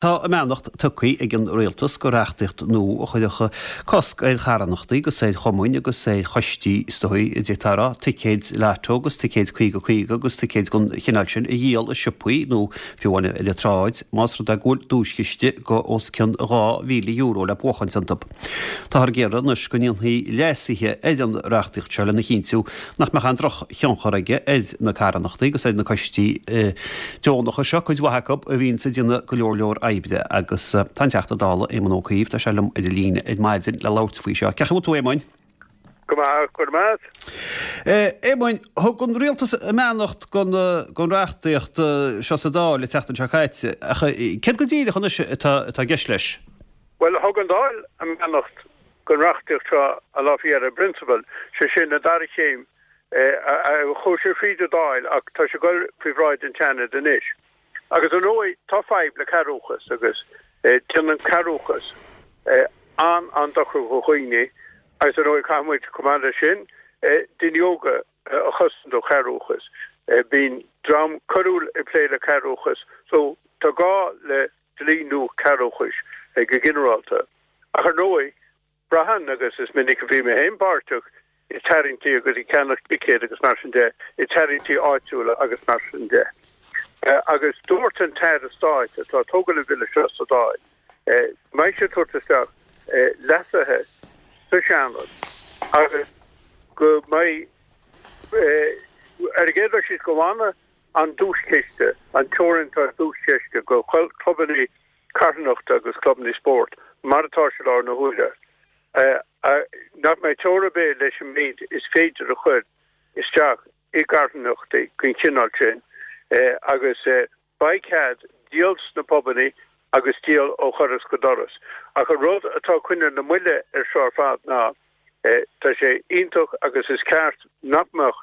Tá a mbeannacht tugtha ag an Rialtas do reachtaíocht nua a chuirfeadh cosc ar charthanachtaí agus ar chumainn agus ar choistí, is dóigh, a d'fhéadfá a rá, ticéid Lotto agus ticéid 50 50 agus ticéid den chineál sin a dhíol i siopaí nó fiú amháin ar an tsráid más rud é go bhfuil duaischiste de os cionn €2,000 le buachaint iontu. Táthar ag iarraidh anois go ndéanfaí leasuithe ar an reachtaíocht seo lena chinntiú nach mbeadh aon drochthionchar aige ar na carthanachtaí agus ar na coistí deonacha seo, cuid mhaith acu a bhíonns ag déanamh go leor leor oibre. Agus tá an Teachta Dála, Éamon Ó Cuív, tá sé liom ar an líne ar maidin le labhairt faoi seo. Cén chaoi a bhfuil tú, a Éamoin? Go maith, go raibh maith agat. Éamoin, thug an Rialtas a mbeannacht don reachtaíocht seo sa Dáil an tseachtain seo caite, ach céard go díreach anois atá i gceist leis? Bhuel, thug an Dáil a mbeannacht don reachtaíocht seo an lá faoi dheireadh i bprionsabal, sé sin, an dara chéim, chuaigh sé fríd an Dáil ach tá sé ag dul faoi bhráid an tSeanaid anois. Agus ar ndóigh, tá fadhb le cearrbhachas agus déanann cearrbhachas an-an-dochar do dhaoine agus ar ndóigh caithfidh muid, chomh maith leis sin, daoine óga a chosaint ó chearrbhachas. Bíonn dream coiriúil ag plé le cearrbhachas so tá gá le dlí nua cearrbhachais go ginearálta. Ach ar ndóigh, braitheann, agus is minic a bhí mé féin páirteach i tarraingtí agus ag ceannach ticéad agus mar sin de, i tarraingtí áitiúla agus mar sin de. Agus dúirt an tAire Stáit atá ag tógáil an bhille seo sa Dáil, go mbeidh sé ag tabhairt isteach leasuithe sa Seanad agus go mbeidh, ar an gcéad dul síos, go bhfanfaidh an duaischiste, an teorainn atá ar duaischiste do chlubanna carthanachta agus clubanna spóirt, mar atá sé i láthair na huaire, nach mbeidh teora ar bith leis an méid is féidir a chur isteach i gcarthanachtaí den chineál sin agus beidh cead díol sna pubanna agus díol ó dhoras go doras. Ach an rud atá ag coinneáil na moille air seo ar fad ná tá sé iontach agus is ceart nach mbeadh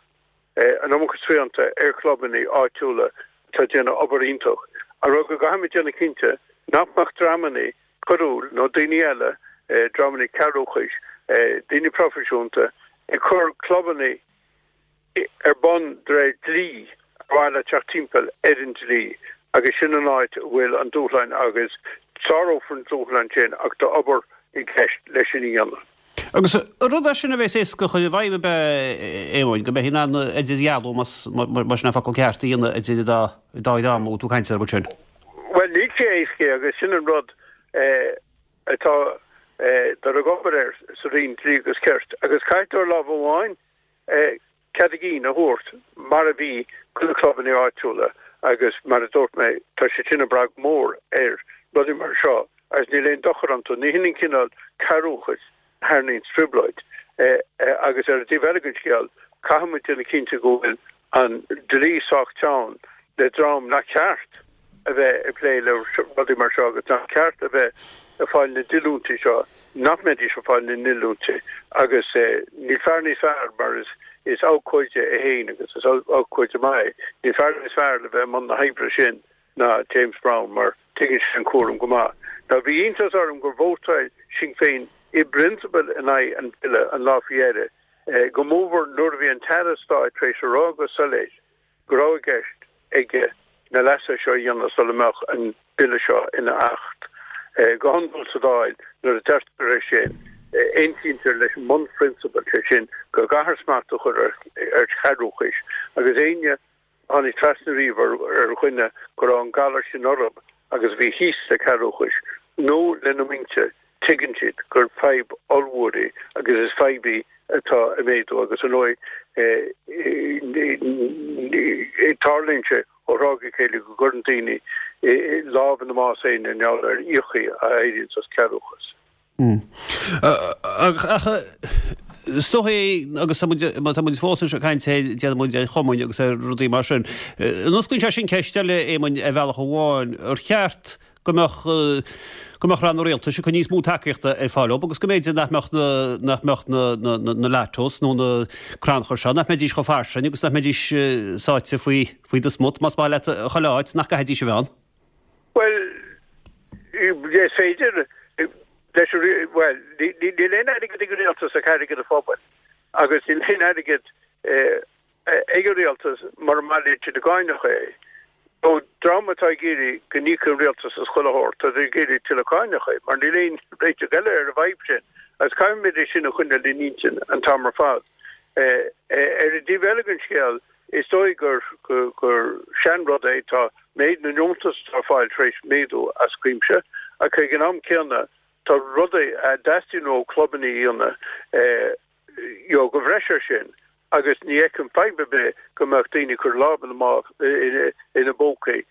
an iomarca srianta ar chlubanna áitiúla atá ag déanamh obair iontach. An rud go gcaithfimid déanamh cinnte nach mbeadh dreamanna coiriúil nó daoine eile, dreamanna cearrbhachais, daoine proifisiúnta, ag cur clubanna ar bun de réir dlí ar mhaithe le teacht timpeall ar an dlí agus sin an áit a bhfuil an dúshlán agus sárófar an dúshlán sin ach tá obair i gceist leis sin a dhéanamh. Agus rud é sin a bheas éasca a chur i bhfeidhm, ab ea, a Éamoin, go mbeifí in ann idirdhealú, más sin an focal ceart, a dhéanamh idir an dá dhream a bhfuil tú ag caint orthu sin? Bhuel, níl sé éasca agus sin an rud atá dul ag obair air sa Roinn Dlí agus Cirt. Agus caithfidh tú ar lámh amháin cead a gcinn a thabhairt mar a bhí do na clubanna áitiúla agus mar a dúirt mé tá siad sin ag brath go mór ar rudaí mar seo agus níl aon dochar iontu. Ní hin an cineál cearrbhachais a tharraingíonns trioblóid. Agus ar an dtaobh eile den scéal caithfidh muid déanamh cinnte go bhfuil an dlí sách teann le dream nach ceart a bheith ag plé le rudaí mar seo agus nach ceart a bheith ag fáil na ndíolúintí seo, nach mbeidís ag fáil na ndíolúintí agus níl fear níos fearr mar is is abhcóide é féin agus is abhcóide maith é, níl fear níos fearr le bheith i mbun na hoibre sin ná James Browne mar tuigeann sé an cúram go maith. Now bhí iontas orm gur vótáil Sinn Féin i bprionsabal in aghaidh an bhille an lá faoi dheireadh, go mórmhór nuair a bhí an tAire Stáit tar éis a rá go soiléir go raibh i gceist aige na leasuithe seo a dhéanamh sula mbeadh an Bille seo ina Acht. Go hiondúil sa Dáil, nuair a deirtear é sin, aontaítear leis an mbunphrionsabal, sé sin, go gcaithfear smacht a chur ar chearrbhachas, agus éinne a tháinig trasna riamh ar dhuine go raibh an galar sin orthu agus a bhí thíos le cearrbhachas nó lena muintir, tuigeann siad gur fadhb ollmhór í agus is fadhb í atá ag méadú agus ar ndóigh tarlaíonn sé ó thráth go chéile go gcuireann daoine lámh ina mbás féin i ngeall ar fhiacha a éiríonns as cearrbhachas. Ach is dóigh é, agus tá muid, má tá muid fós anseo ag caint ar, déanann muid ar chumainn agus ar rudaí mar sin, an osclaíonn sé sin ceist eile, Éamoinn, ar bhealach amháin, ar cheart go mbeadh, go mbeadh ranna rialtais ag cur níos mó tacaíochta ar fáil dóibh agus go mb'fhéidir nach mbeadh na, nach mbeadh na, na, na, na lottos nó na crannchuir seo, nach mbeidís chomh fairsing agus nach mbeidís sáite faoi, faoi do smut, más maith leat, chuile áit, nach gcaithfidís a bheith ann. Bhuel, is féidir leis an, bhuel, níl aon airgead ag an rialtas ach airgead an phobail agus níl aon airgead ag an rialtas mura mbailíonn siad i gcáineacha é. Ó, dream atá ag iarraidh go n-íocfaidh an rialtas as chuile shórt, tá siad ag iarraidh tuilleadh cáineacha, mar níl aon réiteach eile ar an bhfadhb sin, agus caithfimid é sin a choinneáil in intinn an t-am ar fad. Ar an dtaobh eile den scéal, is dóigh gur gur seanrud é, tá méid na ndeontas atá ar fáil tar éis méadú as cuimse, ach ag an am céanna tá rudaí a dteastaíonn ó chlubanna a dhéanamh you know, de bhreis air sin agus ní fheicim fadhb ar bith go mbeadh daoine ag cur lámh ina mámh ina bpócaí,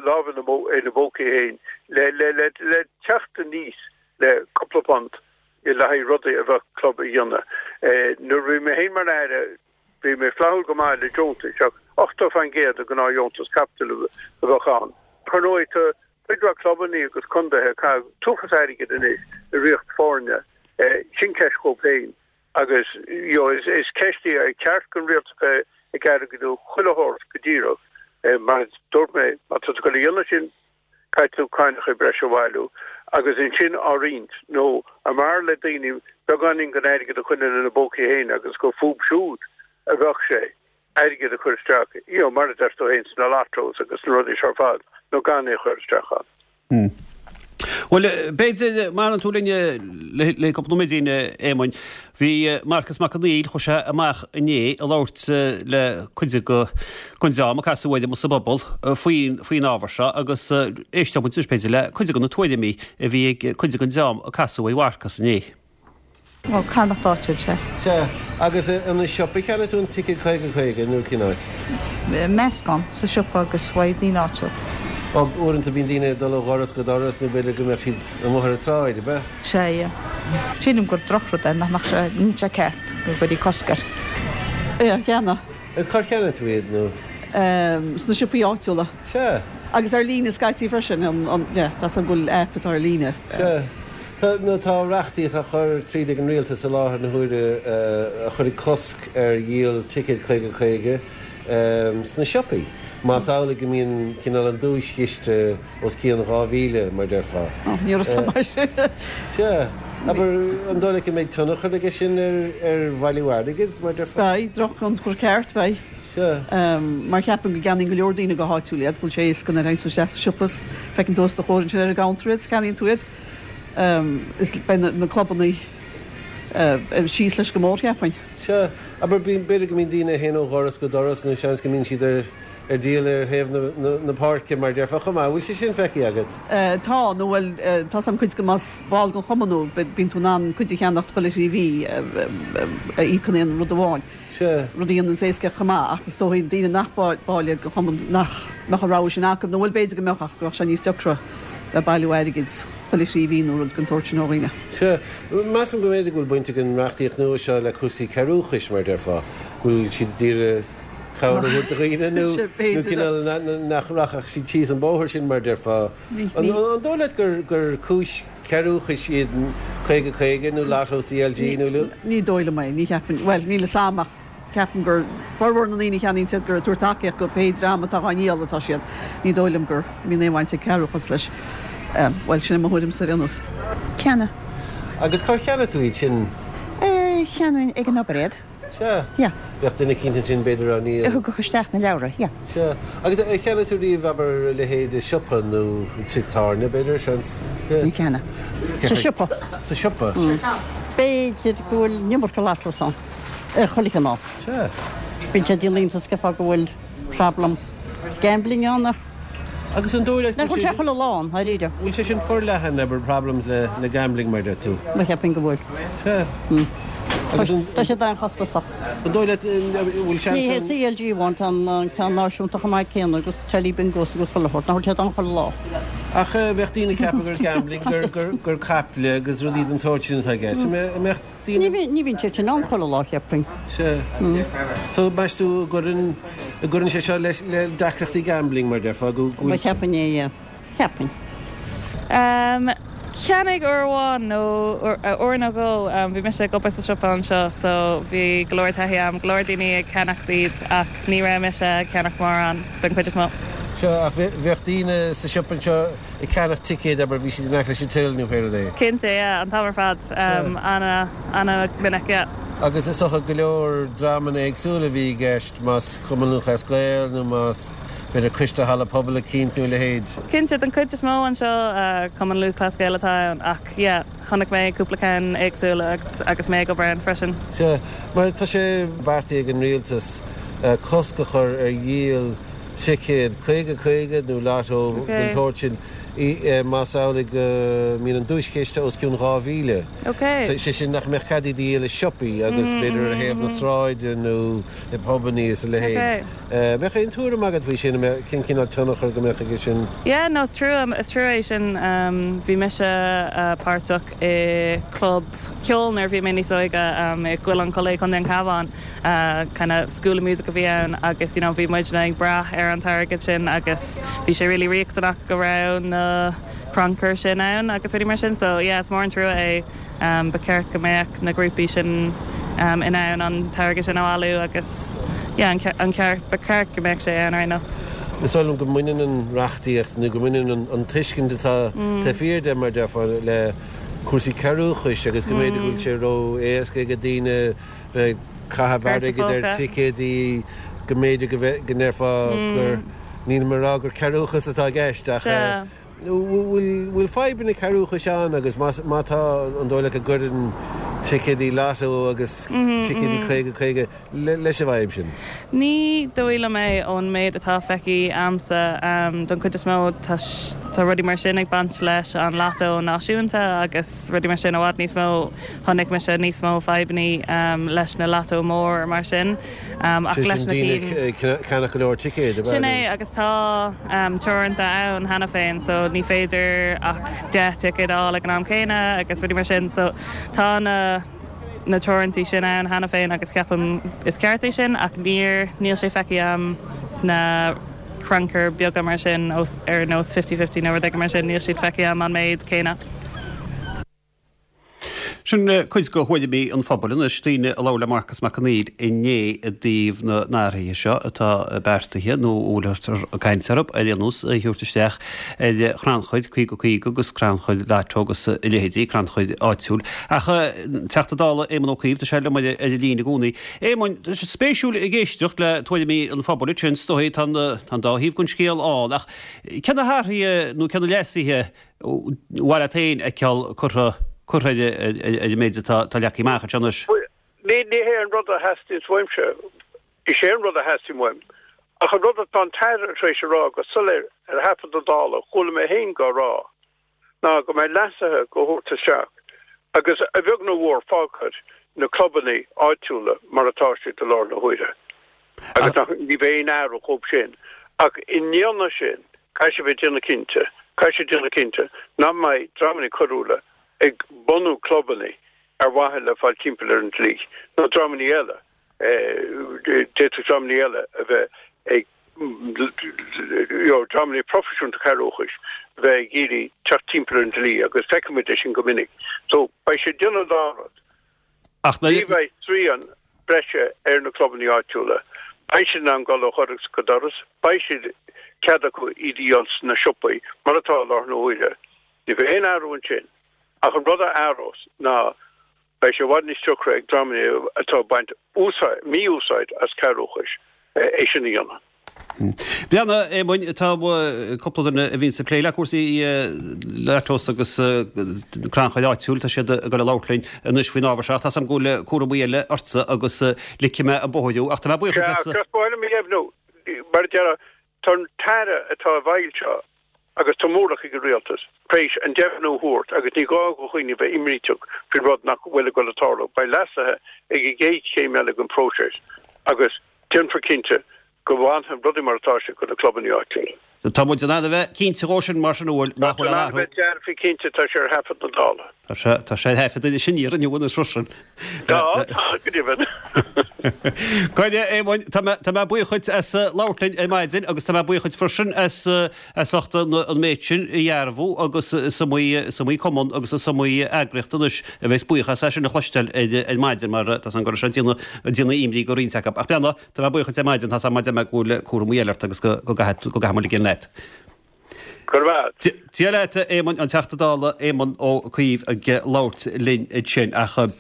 lámh ina bpócaí féin le le le le teacht aníos le cúpla punt le haghaidh rudaí a bheadh club a dhéanamh. Nuair a bhí mé féin mar Aire bhí mé flaithiúil go maith le deontais ach 80% de ghnáth-dheontas caipitil a bheadh ann. Ar ndóigh tá cuid mhaith clubanna agus contaetha ag caitheamh an t-uafás airgid anois i ríocht foirne. Sin ceist dhóibh féin agus you know is ceist í ar cheart don rialtas bheith ag airgeadú chuile shórt go díreach. Mar a dúirt mé, má tá tú ag dul a dhéanamh sin, caithfidh tú cáineacha breise a bhailiú agus ansin á roinnt nó an mb'fhearr le daoine beagáinín den airgead a choinneáil ina bpócaí féin agus gur fúthu siúd a bheadh sé. airgead a chur isteach, you know, mar a deir tú féin, sna lottos agus sna rudaí seo ar fad, nó gan é a chur isteach ann. Bhuel, b'fhéidir, má fhanann tú linn le cúpla nóiméidín, a Éamoinn, bhí Marcas Mac Conghail, chuaigh sé amach inné ag labhairt le cuid den dream a casadh air amuigh sa bpobal faoin faoin ábhar seo agus éisteoidh muid anois, b'fhéidir, le cuid de na tuairimí a bhí ag cuid den dream a casadh ar Mharcas inné. Ó, carthanacht áitiúil, sea. Sea, agus an i siopa a cheannaigh tú an ticéad 50, 50 nó cén áit? Meascán, sa siopa agus uaidh daoine áitiúil. Ó, uaireanta bíonn daoine ag dul ó dhoras go doras nó b'fhéidir go mbeadh siad amuigh ar an tsráid, ab ea? Sea, yeah. Sílim gur drochrud é, nach mbeadh sé, níl sé ceart go gcuirfí cosc air. Yeah, cheannaigh. Agus cár cheannaigh tú iad nó? Sna siopaí áitiúla. Sea. Agus ar líne scaití freisin, an, an, yeah, tá 's agam go bhfuil aip atá ar líne. Sea. Tá, nó tá reachtaíocht á chur tríd ag an rialtas i láthair na huaire a chuirfidh cosc ar dhíol ticéad 50 50 sna siopaí, más amhlaidh go mbíonn cineál an duaischiste os cionn 2,000, mar déarfá. Ó, ní raibh 's agam mar sin. Sea. Abair, an dóigh leat go mbeidh tionchar aige sin ar bhailiú airgid, mar déarfá? Beidh, drochthionchar ceart, beidh. Sea. Mar cheapaim go gceannaíonn go leor daoine go háitiúil iad, go bhfuil sé éasca nuair a théann tú isteach sa siopa is feiceann tú os do chomhair ansin ar an gcounter iad is ceannaíonn tú iad. Is beidh na clubanna síos leis go mór, cheapfainn. Sea. Abair, b'fhéidir go mbíonn daoine a théann ó dhoras go doras nó seans go mbíonn siad ar ar díol ar thaobh na páirce, mar déarfá, chomh maith. Bhfuil sé sin feicthe agat? Tá, nó bhuel, tá 's agam cuid de más ball den chumann thú, bíonn tú in ann cuid a cheannacht chuile thrí mhí a íocann aon rud amháin. Sea. Rud a dhéananns éascaíocht chomh maith, ach is dóigh daoine nach baill iad den chumann nach mbeadh an rogha sin acu, nó bhuel b'fhéidir go mbeadh ach go mbeadh sé níos deacra le bailiú airgid chuile thrí mhí nó rud den tsórt sin ó dhaoine. Sea. Measaim go mb'fhéidir go bhfuil baint ag an reachtaíocht nua seo le cúrsaí cearrbhachais, mar a déarfá, go bhfuil siad ag iarraidh cabhair a thabhairt do dhaoine nó cineál nach rachadh siad síos an bóthar sin, mar a déarfá. An dóigh leat gur cúis cearrbhachais iad 50 50 nó Lotto CLG nó. Ní dóigh liom é, ní cheapaim, bhuel, níl 'fhios a'm ach ceapaim gur formhór na ndaoine a cheannaíonn iad gur ag tabhairt tacaíocht go pé dream atá á ndíol atá siad. Ní dóigh liom go mbíonn aon bhaint ag cearrbhachas leis. Bhuel, sin é mo thuairimse ar aon nós. Cheannaigh. Agus cár cheannaigh tú iad sin? Cheannaigh ag an obair iad. Sea. Yeah. Bheadh duine eicínt ansin b'fhéidir á ndíol. A thugadh isteach na leabhra, yeah. Sea. Agus ar cheannaigh tú riamh, abair, a leithéid i siopa nó tigh tábhairne, b'fhéidir, seans? Sea. Níor cheannaigh. Sa siopa. Sa siopa? B'fhéidir go bhfuil an iomarca lottos ann, ar chuile chineál. Sea. Bíonn sé ag déanamh iontas ceapfá go bhfuil problem gambling ann ach. Agus an dóigh leat go bhfuil sé chuile lá ann, dháiríre. Bhfuil sé sin forleathan, abair, problems le le gambling mar deir tú? Bhuel cheapfainn go bhfuil. Sea. Agus an. Tá siad an-chostasach. An dóigh leat, bhfuil seans Ní hé CLG amháin, tá an ceann náisiúnta chomh maith céanna agus telly bingos agus chuile shórt, nach bhfuil siad ann chuile lá. Ach bheadh daoine ag ceapadh gur gambling, gur gur gur caiple agus rudaí den tsórt sin atá i gceist. An mbeadh daoine. Ní bhíonn siad sin ann chuile lá, cheapfainn. Sea. So, meas tú an gcuireann, an gcuireann sé seo le, le deacrachtaí gambling, mar déarfá, go, go bhfuil. Bhuel, cheapfainn é, yeah. Cheapfainn. Em, cheannaigh uair amháin nó uair nó dhó, bhí mise ag obair sa siopa anseo so bhí go leor taithí agam, go leor daoine ag ceannacht iad ach ní raibh mise ag ceannach mórán den chuid is mó. Sea, ach bheadh daoine sa siopa anseo ag ceannach ticéid, abair, bhí siad in aice leis an till nó pé rud é. Cinnte, yeah, an t-am ar fad, ana, ana-mhinic, yeah. Agus is dócha go leor dreamanna éagsúla a bhí i gceist, más Cumann Lúthchleas Gael nó más. b'fhéidir coiste halla pobail eicínt nó a leithéid? Cinnte, den chuid is mó anseo Cumann Lúthchleas Gael atá ann ach yeah chonaic mé cúpla ceann éagsúil agus mé ag obair ann freisin. Sea, mar tá sé beartaithe ag an rialtas cosc a chur ar dhíol ticéad 50 50 nó lotto den tsórt sin más amhlaidh go mbíonn an duaischiste os cionn 2,000. Sé sin nach mbeadh cead iad a dhíol i siopaí agus b'fhéidir ar thaobh na sráide nó i bpubannaí is a leithéid. Mbeadh aon tuairim agat faoi sin, cén cineál tionchar go mbeadh aige sin? Yeah, no, is trua, is trua é sin. Bhí mise páirteach i club ceoil nuair a bhí mé níos óige i gCoill an Chollaigh, Contae an Chabháin. Kind of school of music a bhí ann agus you know bhí muidne ag brath ar an t-airgead sin agus bhí sé really riachtanach go raibh na crannchuir sin ann agus rudaí mar sin. So yeah, is mór an trua é. Ba cheart go mbeadh na grúpaí sin in ann an t-airgead sin a bhailiú agus yeah an ceart, ba cheart go mbeadh sé ann ar aon nós. Is dóigh liom go mbaineann an reachtaíocht nó go mbaineann an tuiscint atá taobh thiar de, mar a déarfá, le cúrsaí cearrbhachais agus go mb'fhéidir go bhfuil sé ró-éasca ag daoine bheith ag caitheamh airgid ar ticéadaí, go mb'fhéidir go ndéarfá gur, nílim ag rá gur cearrbhachas atá i gceist ach. Bhfuil fadhbanna cearrbhachais ann agus má tá, an dóigh leat go gcuireann ticéadaí lotto agus ticéadaí 50 50 leis an bhfadhb sin? Ní dóigh liom é ón méid atá feicthe a'msa. Don chuid is mó tá rudaí mar sin ag baint leis an lotto náisiúnta agus rudaí mar sin i bhfad níos mó. Chonaic mise níos mó fadhbanna leis na lotto mór mar sin. Ach leis na cinn. Daoine ag ceannach go leor ticéad, ab ea? Sin é, agus tá teoranta ann cheana féin, so ní féidir ach 10 ticéad a fháil ag an am céanna agus rudaí mar sin, so tá na na teorantaí sin ann cheana féin agus ceapaim is ceart é sin ach níor, níl sé feicthe a'm sna crannchuir beaga mar sin ar nós fifty fifty nó rud éigin mar sin, níl siad feicthe a'm an méid céanna. Sin cuid de thuairimí an phobail anois, daoine a labhair le Marcas Mac Conghail inné i dtaobh na n-athruithe seo atá beartaithe, nó a bhfuiltear ag caint orthu, ar aon nós, a thabhairt isteach ar chrannchuir 50 50 agus crannchuir Lotto agus a leithéidí, crannchuir áitiúil. Ach Teachta Dála Éamon Ó Cuív, tá sé liom ar an líne i gcónaí. Éamoin, tá sé spéisiúil ag éisteacht le tuairimí an phobail ansin, is dóigh, tá an dá thaobh den scéal ann, ach cé na hathruithe nó cé na leasuithe mhaith leat féin a fheiceáil curtha curtha ar an méid atá leagtha amach anseo anois. Ní ní hé an rud a theastaíonns uaimse. Is é an rud a theastaíonn uaim, ach an rud atá an tAire tar éis a rá go soiléir ar thaifead na Dála, chuala mé féin dhá rá, ná go mbeidh leasuithe dhá thabhairt isteach agus a bheag nó a mhór fágfar na clubannaí áitiúla mar atá siad i láthair na huaire. Agus nach, ní bheidh aon athrú dhóibh sin. Ach i ndéanamh sin, caithfidh sé bheith ag déanamh cinnte, caithfidh sé déanamh cinnte nach mbeidh dreamanna coiriúla ag bunú clubanna ar mhaithe le fáil timpeall ar an dlí, nó dreamanna eile, d'fhéadfadh dreamanna eile a bheith ag, you know, dreamanna proifisiúnta cearrbhachais a bheith ag iarraidh teacht timpeall ar an dlí agus feicimid é sin go minic. So, beidh sé ag déanamh an dá rud. Ach ní bheidh srian breise ar na clubanna áitiúla. Beidh siad in ann dul ó dhoras go doras, beidh siad cead acu iad a dhíol sna siopaí, mar atá i láthair na huaire. Ní bheidh aon athrú ansin. Ach an rud a athrós ná beidh sé i bhfad níos deacra ag dreamanna atá ag baint úsáid, mí-úsáid as cearrbhachas é sin a dhéanamh. Breathnaigh, a Éamoinn, tá cúpla duine a bhíonns ag plé le cúrsaí Lottos agus crannchuir áitiúil, tá siad ag dul a labhairt linn anois faoin ábhar seo. Tá 's agam go bhfuil cúramaí eile ortsa agus ligfidh mé an bóthar thú ach tá mé buíoch duit as. Sea, just ba mhaith liom a dheimhniú, mar a déarfá, tá an tAire atá i bhfeighil seo agus tá móramh ag an Rialtas tar éis an deimhniú a thabhairt agus ní gá do dhaoine bheith imníteach faoin rud nach bhfuil ag dul a tarlú. Beidh leasuithe ag an gcéad chéim eile den phróiseas agus déanfar cinnte go bhfanfaidh rudaí mar atá siad do na clubanna áitiúla. Tá muid in ann a bheith cinnte dhó sin mar sin an bhfuil, nach bhfuil aon athrú. Tá muid in ann a bheith dearfa cinnte, tá sé ar thaifead na Dála. Tá sé, tá sé ar thaifead anois in iarraidh anois freisin. Tá, tá, go deimhin. Coinne, Éamoinn, tá mé, tá mé buíoch dhuit as labhairt linn ar maidin agus tá mé buíoch dhuit freisin as, as ucht an, an méid sin a dhearbhú agus is iomaí, is iomaí cumann agus is iomaí eagraíocht anois a bheas buíoch as é sin a chloisteáil ar, ar maidin mar tá 's agam go raibh sé ag déanamh, ag déanamh imní do roinnt acu. Ach breathnaigh, Tá mé buíoch dhuit ar maidin, tá 's agam go bhfuil cúramaí eile ort agus go gcaithfidh muid ligean leat. Go raibh maith agat. Dia leat, a Éamoinn, an Teachta Dála Éamon Ó Cuív ag labhairt linn ansin. Ach.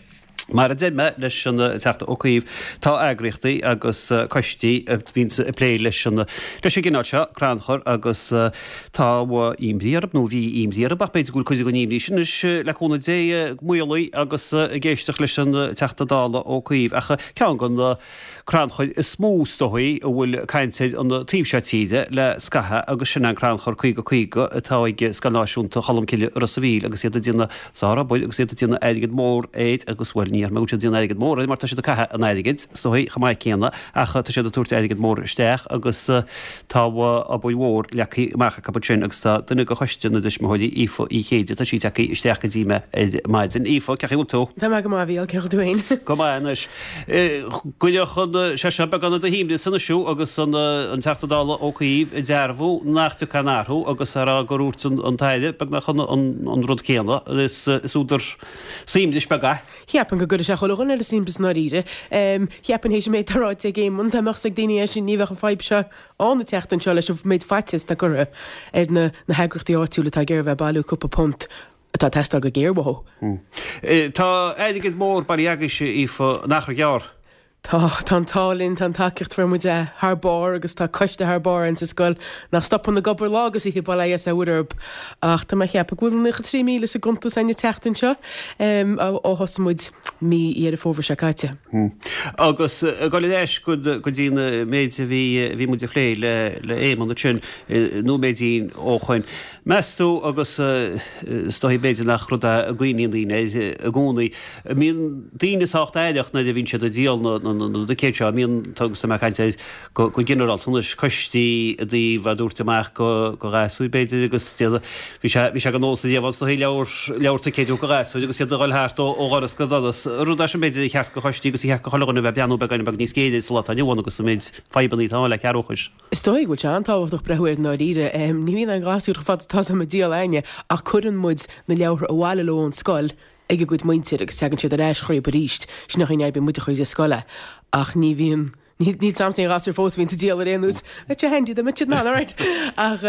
Mar a deir mé leis an Teachta Ó Cuív, tá eagraíochtaí agus coistí a bhíonns ag plé leis an leis an gcineál seo crannchur agus tá imní orthu, nó bhí imní orthu, ach b'fhéidir go bhfuil cuid den imní sin anois, le cúnamh Dé, maolaithe agus ag éisteacht leis an Teachta Dála Ó Cuív. Ach ceann de na crannchuir is mó is dóigh a bhfuil caint air an taobh seo tíre le scaitheamh agus sin an crannchur 50 50 atá ag Scoil Náisiúnta Cholmcille i Ros a' Mhíl agus iad ag déanamh sárobair agus iad ag déanamh airgead mór air agus bhuel ní déarfaidh mé go bhfuil siad ag déanamh airgead mór air mar tá siad ag caitheamh an airgid is dóigh chomh maith céanna ach tá siad ag tabhairt airgead mór isteach agus tá obair mhór leagtha amach acu ansin agus tá duine de choiste na dtuismitheoirí, Aoife Uí Chéide, tá sí tagtha isteach go dtí mé ar maidin. Aoife, cén chaoi a bhfuil tú? Tá mé go maith, a Mhícheáil, cén chaoi a bhfuil tú féin? Go maith anois. Gcuirfeadh sé seo beagán de dh'imreas anois thú agus an Teachta Dála Ó Cuív ag dearbhú nach dtiocfaidh aon athrú agus á rá gur dhúirt an tAire beagnach an rud céanna. Is údar suaimhnis beag é. Cheapfainn go gcuirfeadh sé chuile dhuine ar a suaimhneas i ndáiríre. Cheapfainn théis an méid atá ráite ag Éamonn, dá mbeadh 's ag daoine é sin ní bheadh an fadhb seo ann an tseachtain seo leis an méid faitíos atá curtha ar na heagraíochtaí áitiúla atá ag iarraidh a bheith ag bailiú cúpla punt atá ag teastáil go géar uathu. Tá airgead mór bailithe agaibhse, Aoife, in achar gearr. Tá, tá an t-ádh linn, tá an tacaíocht a fuair muid thar barr agus tá coiste thar barr ann sa scoil nach stopann ag obair lá agus oíche, bail ó Dhia is ó Mhuire orthu. Ach tá mé ag ceapadh go bhfuil 93,000 sa gcuntas againn an tseachtain seo ó thosaigh muid mí Dheireadh Fómhair seo caite. Agus ag dul ar ais go dtí an méid a bhí muid a phlé le Éamonn ansin nóiméidín ó shoin. Meas tú, agus is dóigh b'fhéidir nach rud é a gcuimhníonn daoine air i gcónaí, an mbíonn daoine sách aireach nuair a bhíonn siad ag díol na dticéad seo, an mbíonn, agus tá mé ag caint air go ginearálta anois, coistí i dtaobh a dtabhairt amach go ghasúir b'fhéidir agus bhí sé, bhí sé de nós ariamh ann is dóigh leabhar, leabhar ticéid a thabhairt go ghasúir agus iad ag dhul thart ó dhoras go doras. Rud é sin b'fhéidir ar cheart go choistí agus ar cheart go chuile dhuine a bheith ag breathnú beagáinín beag níos géire sa lá atá inniu ann agus an méid fadhbanna atá ann le cearrbhachais. Is dóigh go bhfuil sé an-tábhachtach breathnú air i ndáiríre. Ní bhíonn aon ghasúr chomh fada atá agam ag díol againne ach cuireann muid na leabhartha abhaile leo ón scoil ag a gcuid muintir agus tagann siad ar ais chucu arís. Sin an chaoi a n-oibríonn muid a chuir de scoil é. Ach ní bhíonn, níl 's a'msa aon ghasúr fós a bhíonns ag díol ar aon nós. Bheadh sé handy dá mbeadh siad in ann, alright. Ach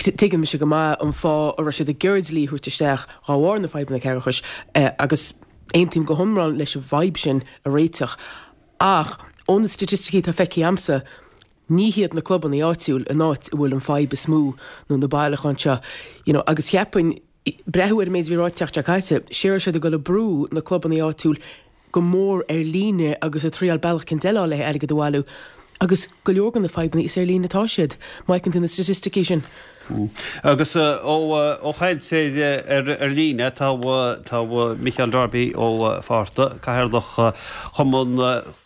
tuigeann mise go maith an fáth a raibh siad ag iarraidh dlí a thabhairt isteach dhá bharr na fadhbanna cearrbhachais agus aontaím go hiomlán leis an bhfadhb sin a réiteach. Ach ó na staitisticí atá feicthe a'msa, ní hiad na clubanna áitiúil an áit a bhfuil an fadhb is mó nó na bailiúcháin seo, you know, agus cheapfainn, breathnú ar an méid a bhí ráite an tseachtain seo caite, sé raibh siad ag dul ag brú na clubanna áitiúil go mór ar líne agus ag triáil bealach eicínt eile le airgead a bhailiú agus go leor de na fadhbanna is ar líne atá siad, má fheiceann tú na staitisticí sin. Agus ó chaint ar líne, tá Micheál Darby Ó Fátharta, Cathaoirleach Chumann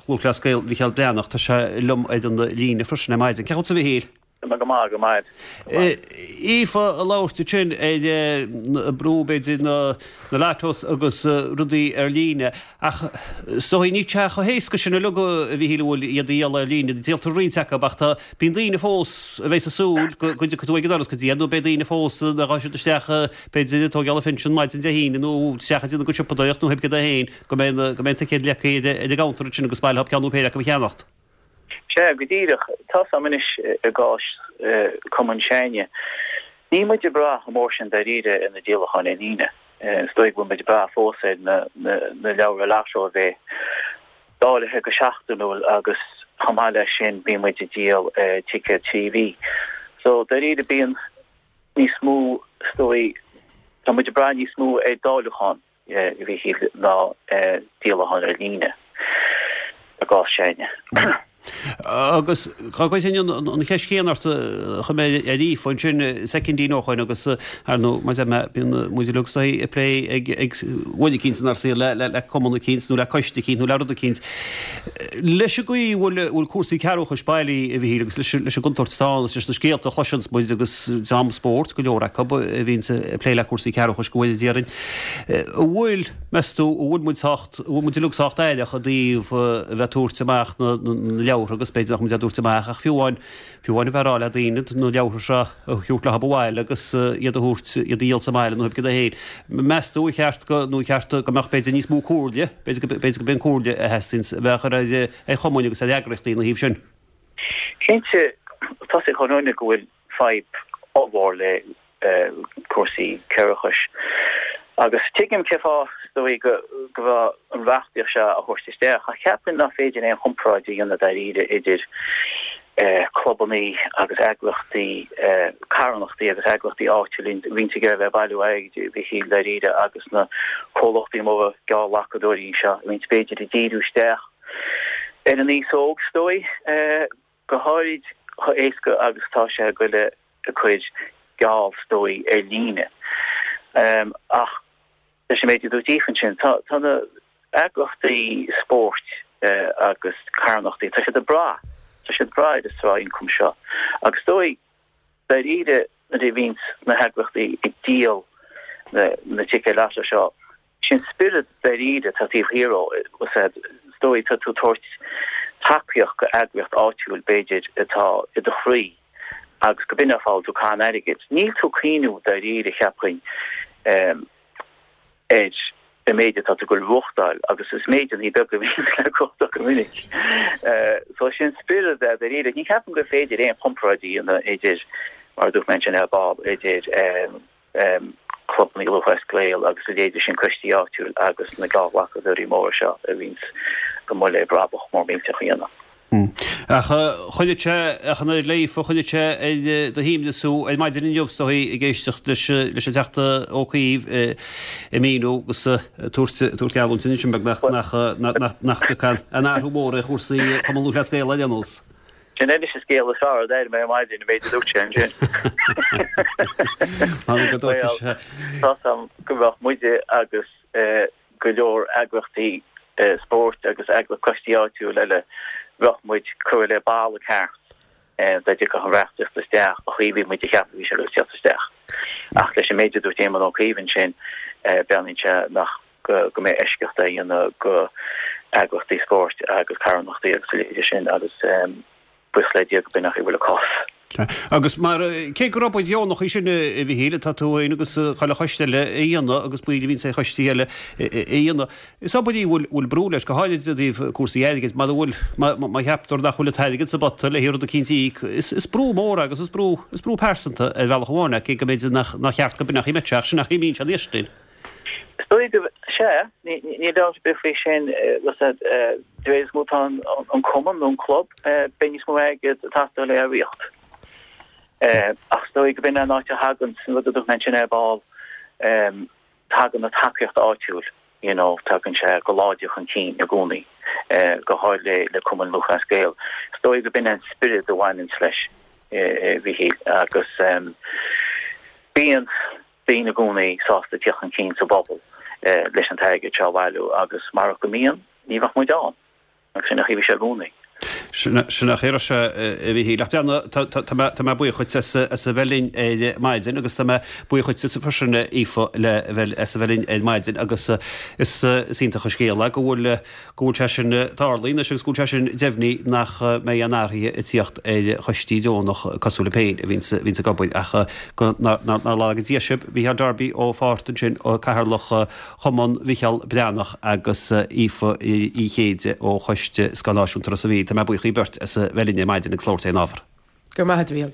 Lúthchleas Gael Mhicheál Breathnach, tá sé liom ar an líne freisin ar maidin. Cén chaoi a bhfuil tú a Mhichíl? Tá mé go maith, go maith. Aoife ag labhairt ansin ar brú b'fhéidir na lottos agus rudaí ar líne. Ach is dóigh níl sé chomh héasca sin uilig, a Mhichíl, an bhfuil, iad a dhíol ar líne. Díoltar roinnt acu ach tá, bíonn daoine fós a bheidh ag súil go go dtiocfaidh tú ag an doras go dtí iad nó beidh daoine fós a ghabhfaidh siad isteach b'fhéidir ag tógáil a phinsean maidin Dé hAoine nó isteach ag déanamh a gcuid siopadóireacht nó pé céard é féin go mbeidh go mbeidh an ticéad leagtha ar an gcounter ansin agus ba mhaith leo ceann nó péire acu a cheannacht. Sea, go díreach. Tá's a'm anois i gcás cumann s'againne, níl muid ag brath chomh mór sin dáiríre ar na díolacháin ar líne. Is dóigh go bhfuil muid ag brath fós ar na leabhra lotto a bheith dáilithe go seachtainiúil agus chomh maith leis sin bíonn muid ag díol ticéad 3 mhí. So dáiríre bíonn níos mó, is dóigh, tá muid ag brath níos mó ar dáiliúchán. a Mhichíl ná díolacháin ar líne i gcás s'againne. Agus dá gcuirfinn an cheist chéanna ort a chuir mé ar Aoife ansin soicindín ó shoin agus ar ndóigh mar a deir mé bíonn muid uilig is dóigh ag plé ag ag uair eicínt inár saol le le cumann eicínt nó le coiste eicínt nó le rud eicínt. Leis an gcaoi a bhfuil bhfuil cúrsaí cearrbhachais bailithe a Mhichíl agus leis leis an gcontúirt atá ann agus leis na scéalta a chloiseanns muid agus dream spóirt go leor acu a bhíonns ag plé le cúrsaí cearrbhachais go bhfuil déarfainn An bhfuil, meas tú, an bhfuil muid sách, an bhfuil muid uilig sách aireach i dtaobh a bheith ag tabhairt amach na leabhartha agus b'fhéidir nach muid á dtabhairt amach ach fiú amháin, fiú amháin a bheith ag rá le daoine na leabhartha seo a thabhairt leo abhaile agus iad a thabhairt, iad a dhíol sa mbaile nó cibé cad é féin. Meas tú ar cheart go, nó ar cheart go mbeadh b'fhéidir níos mó comhairle, b'fhéidir go, b'fhéidir go b'é an comhairle a theastaíonns a bheith á chur ar, ar chumainn agus ar eagraíochtaí ina thaobh sin? Cinnte, tá 's ag chuile dhuine go bhfuil fadhb ollmhór le cúrsaí cearrbhachais. Agus tuigim cé fáth, is dóigh, go go raibh an reachtaíocht seo á thabhairt isteach, ach cheapfainn nach féidir aon chomparáid a dhéanamh dáiríre idir clubannaí agus eagraíochtaí, carthanachtaí agus eagraíochtaí áitiúla a bhíonns ag iarraidh a bheith ag bailiú airgid, a Mhichíl, dáiríre, agus na comhlachtaí móra geallghlacadóirí seo a bhíonns b'fhéidir ag díriú isteach ar an aos óg, is dóigh. Go háirid chomh éasca agus atá sé a ghoil ag cur geall is dóigh ar líne. Ach leis an méid a dúirt Aoife ansin, tá tá na eagraíochtaí spóirt agus carthanachtaí, tá siad ag brath, tá siad ag brath ar an sraith ioncaim seo. Agus is dóigh, dáiríre, nuair a bhíonns na heagraíochtaí ag díol na na ticéid lotto seo, Sin spiorad dáiríre atá taobh thiar dhó, is dóigh, tá tú ag tabhairt tacaíocht go eagraíocht áitiúil b'fhéidir atá i do chroí agus go b'in an fáth a bhfuil tú ag caitheamh an airgid. Níl tú ag cuimhniú dáiríre cheapfainn ar an méid atá tú ag goil a bhuachtáil agus is méideanna beaga a bhíonn le buachtáil go minic. So sin spiorad é dáiríre. Ní cheapaim gur féidir aon chomparáid a dhéanamh idir, mar a dúirt mé ansin ar ball, idir clubanna Lúthchleas Gael agus a leithéide sin, coistí áitiúil agus na geallghlacadóirí móra seo a bhíonns amuigh le brabach mór millteach a dhéanamh. Ach choinnigh sé, ach an oiread le Aoife, choinnigh sé ar do shuaimhneas thú ar maidin inniu is dóigh ag éisteacht leis leis an Teachta Ó Cuív ag míniú agus ag tabhairt tabhairt geallúint anois an beag nach nach nach dtiocfaidh aon athrú mór ar chúrsaí Chumann Lúthchleas Gael ar aon nós. Sin anois an scéal is fearr a d'airigh mé ar maidin, an méid a dúirt sé ansin. Tháinig go dóchais. Tá 's a'm go mbeadh muide agus go leor eagraíochtaí spóirt agus eagraíocht coistí áitiúil eile, bheadh muid curtha le balla ceart dá dtiocfadh an reachtaíocht isteach, an chaoi a bhí muid ag ceapadh a bhí sé ag teacht isteach. Ach leis an méid a dúirt Éamon Ó Cuív ansin, breathnaíonn sé nach go mbeidh eisceacht á dhéanamh go eagraíochtaí spóirt agus carthanachtaí agus a leithéide sin agus buíochas le Dia go b'in an chaoi a bhfuil an cás. Agus mar, cé gur obair dheonach í sin, a Mhichíl, atá tú féin agus chuile choiste eile a dhéanamh agus baill a bhíonns ar choistí eile a dhéanamh, is obair í a bhfuil brú leis, go háirid i dtaobh cúrsaí airgid, mara bhfuil, má cheaptar nach bhfuil an t-airgead sa bpota le rud eicínt a íoc, is brú mór agus is brú, is brú pearsanta ar bhealach amháin é, cé go mb'fhéidir nach cheart go b'in an chaoi a mbeadh sé, ach sin an chaoi a mbíonn sé anois linn. Is dóigh go, sea, níl dabht ar bith faoi sin, de réir is mó atá an cumann nó an club, beidh níos mó airgid ag teastáil le á ritheacht. Ach is dóigh go b'in an áit a thagann, an rud a dúirt mé ansin ar ball, tagann an tacaíocht áitiúil, you know, tagann sé go láidir chun cinn i gcónaí, go háirithe le Cumann Lúthchleas Gael. Is dóigh go b'in an spiorad a bhaineanns leis, a Mhichíl, agus bíonn. daoine i gcónaí sásta tíocht chun cinn sa bpobal leis an t-airgead seo a bhailiú agus marach go mbíonn, ní bheadh muid ann. Agus sin an chaoi a bhí sé i gcónaí. Sin an chaoi a raibh sé, a Mhichíl. Ach breathnaigh, tá mé buíoch dhuit as a bheith linn ar maidin agus tá mé buíoch dhuit freisin, a Aoife, le bheith, as a bheith linn ar maidin agus is iontach an scéal é go bhfuil, go bhfuil sé sin tarlaithe anois agus go bhfuil sé sin deimhnithe nach mbeidh aon athruithe ag tíocht ar choistí deonach cosúil libh féin a bhíonns ag obair ach go nár laga Dia sibh. Mícheál Darby ó Pháirt ansin, Cathaoirleach Chumann Mhicheál Breathnach agus Aoife Uí Chéide ó Choiste Scoil Náisiúnta Ros an Mhíl. Tá mé buíoch dhaoibh beirt as a bheith linn ar maidin agus labhairt ar an ábhar. Go raibh maith agat, a Mhichíl.